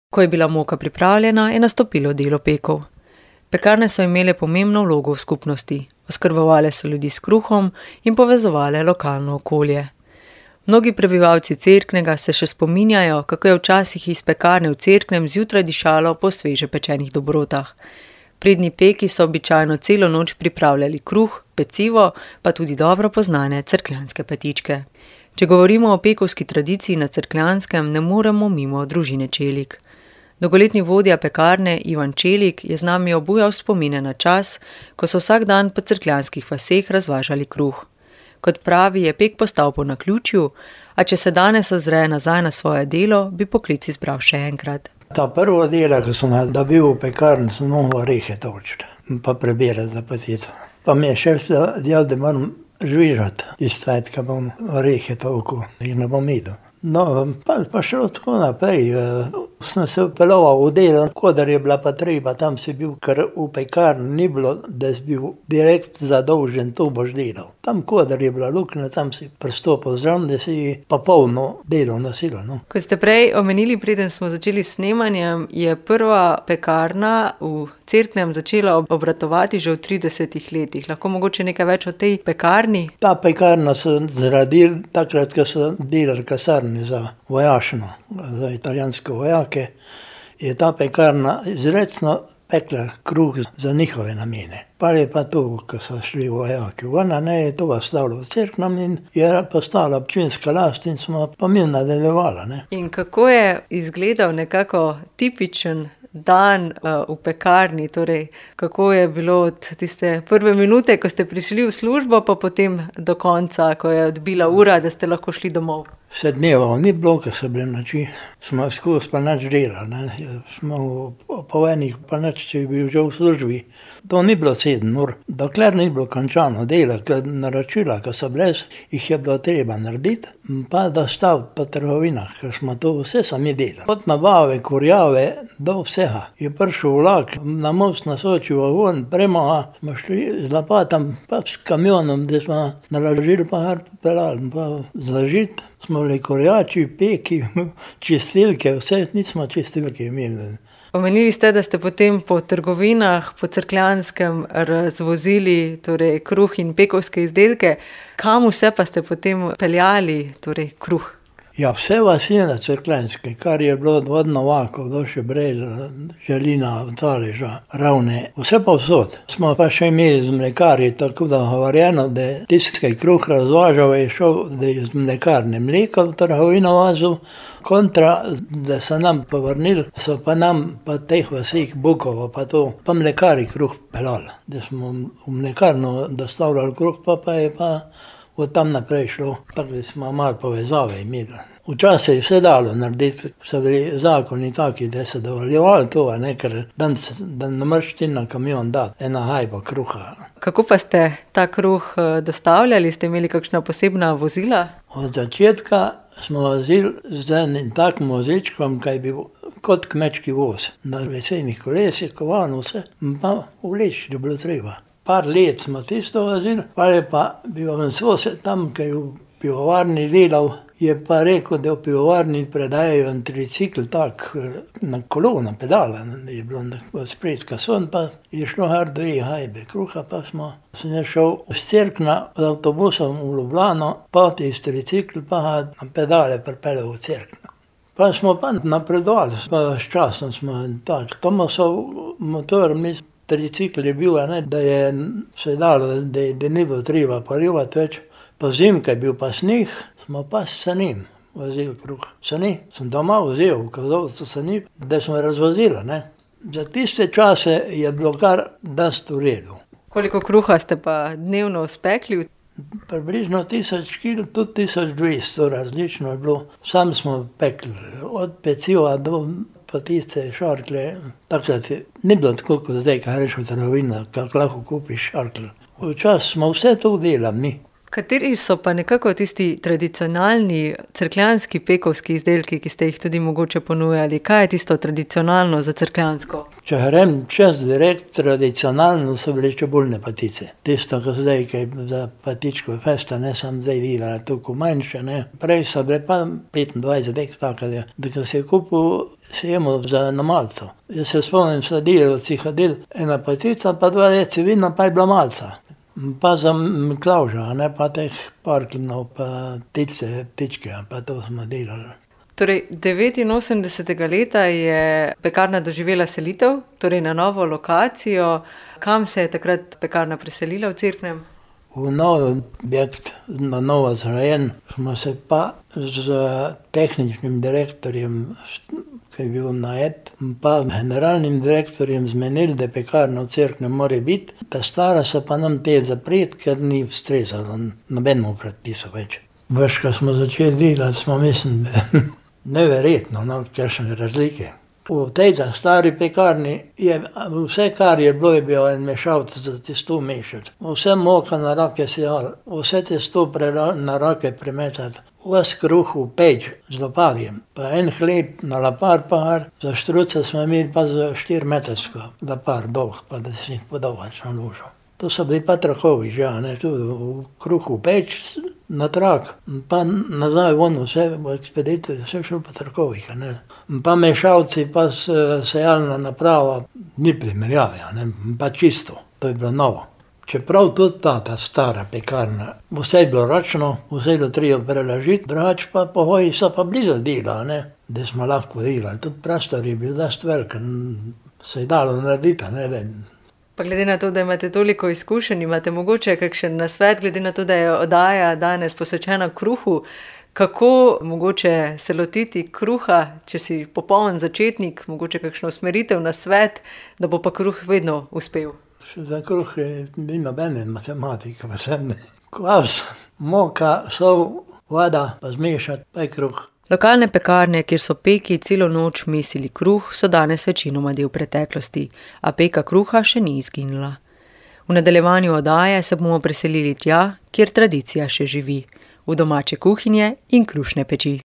Ko je bila moka pripravljena, je nastopilo delo pekov. Pekarne so imele pomembno vlogo v skupnosti, oskrbovale so ljudi s kruhom in povezovale lokalno okolje. Mnogi prebivalci Cerknega se še spominjajo, kako je včasih iz pekarne v Cerknem zjutraj dišalo po sveže pečenih dobrotah. Pridni peki so običajno celo noč pripravljali kruh, pecivo, pa tudi dobro poznane cerkljanske petičke. Če govorimo o pekovski tradiciji na Cerkljanskem, ne moremo mimo družine Čelik. Dolgoletni vodja pekarne Ivan Čelik je z nami obujal spomine na čas, ko so vsak dan po cerkljanskih vaseh razvažali kruh. Kot pravi, je pek postal po naključju, a če se danes ozre nazaj na svoje delo, bi poklic izbral še enkrat. Ta prvo delo, ko sem dobil v pekarni, sem mogel orehe točiti, pa prebirati za petico. Pa mi je šef dejal, da moram žvižati iz cajt, ko bom orehe toliko, jih ne bom idel. No, pa šlo tako naprej. Sem se vpeljal v delo, kodar je bila pa treba, tam si bil, ker v pekarni ni bilo, da si bil direkt zadolžen, to boš delal. Tam, kodar je bila luknja, tam si pristopil zraven, da si pa polno delovno silo. No. Kot ste prej omenili, preden smo začeli s snemanjem, je prva pekarna v Cerknem začela obratovati že v 30 letih. Lahko mogoče nekaj več o tej pekarni? Ta pekarna so zgradili takrat, ko so delali kasarni za vojašno, za italijanske vojake, je ta pekarna izrecno pekla kruh za njihove namene. Pa je pa to, ko so šli vojaki ven, je to ostalo v Cerknem in je postala občinska last in smo pa mi nadaljevali. In kako je izgledal nekako tipičen dan v pekarni, torej kako je bilo od tiste prve minute, ko ste prišli v službo, pa potem do konca, ko je odbila ura, da ste lahko šli domov? Vse dnevov ni bilo, ko so bile noči, smo skozi pa nič delali, smo po enih pa nič, če bi bil že v službi. To ni bilo 7 ur, dokler ni bilo končano delo, ker naročila, ko so bile, jih je bilo treba narediti, pa dostaviti po trgovinah, ker smo to vse sami delali. Od nabave, kurjave do vsega. Je prišel vlak, na most nasočil vagon, prema smo šli z lopatom, pa s kamionom, da smo naložili pa kar pelali, pa zložiti. Smo bili kurjači, peki, čistilke, vse nismo čistilke imeli. Omenili ste, da ste potem po trgovinah po Cerkljanskem razvozili torej kruh in pekovske izdelke. Kam vse pa ste potem peljali torej kruh? Ja, vse vasi na Cerkljanske, kar je bilo od Novakov do Šebrelj, Želina, Taleža, Ravne, vse pa vsod. Smo pa še imeli z mlekarji, tako da govorjeno, da tiskaj kruh razvažal je šel, da je z mlekarne mleko v trgovino vazil, kontra, da so nam povrnili, so pa nam pa teh vasih Bukovo pa to, pa mlekari kruh pelali. Da smo v mlekarno dostavljali kruh, pa je pa od tam naprej šlo, tako da smo malo povezave imeli. Včasih je vse dalo narediti, so bili zakoni taki, da se dovoljevali to, ker da ne moreš ti na kamion dati ena hajba kruha. Kako pa ste ta kruh dostavljali? Ste imeli kakšna posebna vozila? Od začetka smo vozili z enim takim vozičkom, kaj je bil kot kmečki voz. Na lesenih kolesih, kovano vse, pa vleči, je bilo treba. Par let smo tisto vozili, pa je pa bil sosed tam, ki je v pivovarni delal, je pa rekel, da v pivovarni predajajo en tricikl tak na kolo, na pedala, je bilo spred kason, pa je šlo kar 2 hajbe kruha, pa sem šel z Cerkna z avtobusom v Ljubljano, pa iz tricikl pa na pedale pripeljal v Cerkno. Pa smo pa napredovali, s časom smo tak, Tomasov motor, tricikl je bil, da je se dalo, da ni bilo treba porivati več. Po zimke je bil pa sneh, smo pa s sanim vozili kruh. Sani sem doma vzel, v kozovcu sani, da smo razvozili. Za tiste čase je bilo kar dosti v redu. Koliko kruha ste pa dnevno spekli? Približno 1000 kg, tudi 1200, različno je bilo. Sam smo pekli, od peciva do tiste šarkle. Takrat ni bilo tako, kot zdaj, kaj reš v trgovino, kako lahko kupiš šarkle. Včasih smo vse to delali mi. Kateri so pa nekako tisti tradicionalni cerkljanski pekovski izdelki, ki ste jih tudi mogoče ponujali? Kaj je tisto tradicionalno za cerkljansko? Če grem čez direkt, tradicionalno so bile čebulne patice. Tisto, ko zdaj, ki je za patičko festa, ne sem zdaj videla, toliko manjše, ne. Prej so bile pa 25 dek, tako da ko se je kupil, se jemo za na malco. Jaz se spomnim, sladilec jih hodil, ena patica, pa 2 deci vina, pa je bila malca. Pa za Miklavža, ne, pa teh parklinov, pa ptičke, pa to smo delali. Torej, 89. leta je pekarna doživela selitev, torej na novo lokacijo. Kam se je takrat pekarna preselila v Cerknem? V novi objekt, na novo zgrajen, smo se pa z tehničnim direktorjem, ki je bil najet, pa generalnim direktorjem zmenili, da pekarna v Cerknem mora biti, da stara se pa nam te zapreti, ker ni ustrezala nobenemu predpisu več. Veš, ko smo začeli delati, smo mislim, neverjetno, no, kakšne razlike. V tej stari pekarni je vse, kar je bilo, je bil en mešalec za testo mešati. Vse moka na roke sejali, vse testo na roke premetati, ves kruh v peč z loparjem, pa en hleb na lapar par, za štruce smo imeli pa za 4-metrsko lapar dolg, pa da si jih podolgač na lužo. To so bili pa trakovi že, ne, tudi v kruh v peč, na trak, pa nazaj von vse v ekspediciji, vse šlo po trakovih, ne. Pa mešalci, pa sejalna naprava, ni primerjave, ne, pa čisto, to je bilo novo. Čeprav tudi ta stara pekarna, vse je bilo ročno, vse je bilo treba prelažiti, drugače pa pogoji so pa blizu dela, ne, da smo lahko delali. Tudi prostor je bil dosti velik, se je dalo narediti, ne vem. Pa glede na to, da imate toliko izkušenj, imate mogoče kakšen nasvet, glede na to, da je oddaja danes posvečena kruhu, kako mogoče se lotiti kruha, če si popoln začetnik, mogoče kakšno usmeritev, nasvet, da bo pa kruh vedno uspel? Za kruh ni nobene matematike, vsem ne. Kvas, moka, sol, voda, pa zmešati, pa je kruh. Lokalne pekarne, kjer so peki celo noč mesili kruh, so danes večinoma del preteklosti, a peka kruha še ni izginila. V nadaljevanju oddaje se bomo preselili tja, kjer tradicija še živi, v domače kuhinje in krušne peči.